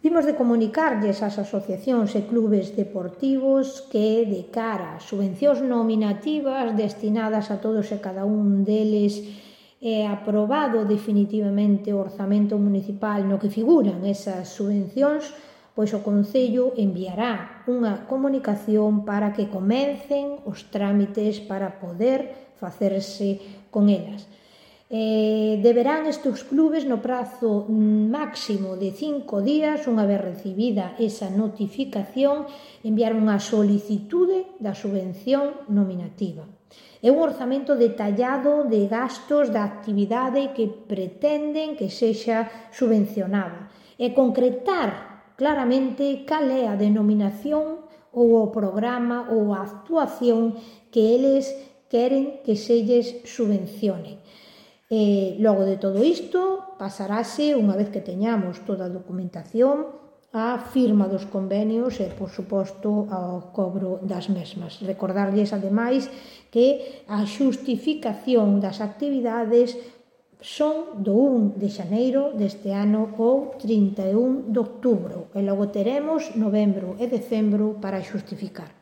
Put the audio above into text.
Vimos de comunicarlles ás asociacións e clubes deportivos que, de cara ás subvencións nominativas destinadas a todos e cada un deles, é aprobado definitivamente o orzamento municipal no que figuran esas subvencións, pois o Concello enviará unha comunicación para que comecen os trámites para poder facerse con elas. Deberán estes clubes no prazo máximo de 5 días, unha vez recibida esa notificación, enviar unha solicitude da subvención nominativa. É un orzamento detallado de gastos da actividade que pretenden que sexa subvencionada e concretar claramente cal é a denominación ou o programa ou a actuación que eles queren que se lles subvencione. Logo de todo isto, pasarase, unha vez que teñamos toda a documentación, a firma dos convenios e, por suposto, ao cobro das mesmas. Recordarlles, ademais, que a xustificación das actividades son do 1 de xaneiro deste ano ou 31 de outubro e logo teremos novembro e decembro para xustificar.